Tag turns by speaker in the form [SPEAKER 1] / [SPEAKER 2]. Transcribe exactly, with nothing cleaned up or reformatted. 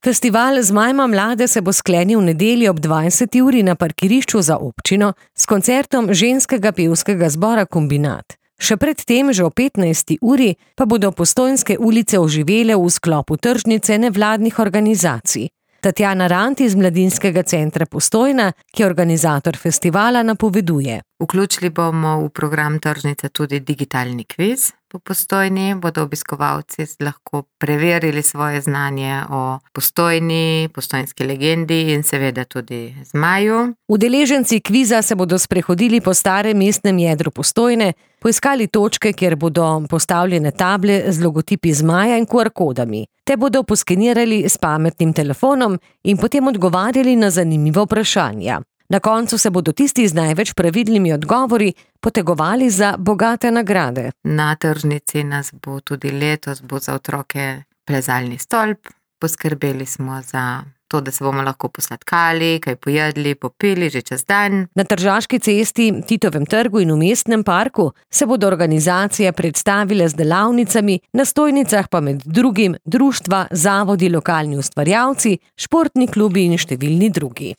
[SPEAKER 1] Festival Zmajma mlade se bo sklenil v nedeljo ob dvajseti uri na parkirišču za občino s koncertom ženskega pevskega zbora Kombinat. Še pred tem, že o petnajsti uri, pa bodo Postojnske ulice oživele v sklopu tržnice nevladnih organizacij. Tatjana Rant iz Mladinskega centra Postojna, ki je organizator festivala, napoveduje.
[SPEAKER 2] Vključili bomo v program tržnice tudi digitalni kviz po Postojni. Bodo obiskovalci lahko preverili svoje znanje o Postojni, postojnski legendi in seveda tudi zmaju.
[SPEAKER 1] Udeleženci kviza se bodo sprehodili po starem mestnem jedru Postojne, poiskali točke, kjer bodo postavljene table z logotipi zmaja in Q R kodami. Te bodo poskenirali s pametnim telefonom in potem odgovarjali na zanimiva vprašanja. Na koncu se bodo tisti z največ pravilnimi odgovori potegovali za bogate nagrade.
[SPEAKER 2] Na tržnici nas bo tudi letos bo za otroke plezalni stolp. Poskrbeli smo za to, da se bomo lahko posladkali, kaj pojedli, popili že čez dan.
[SPEAKER 1] Na Tržaški cesti, Titovem trgu in v mestnem parku se bodo organizacije predstavile z delavnicami, na stojnicah pa med drugim društva, zavodi, lokalni ustvarjalci, športni klubi in številni drugi.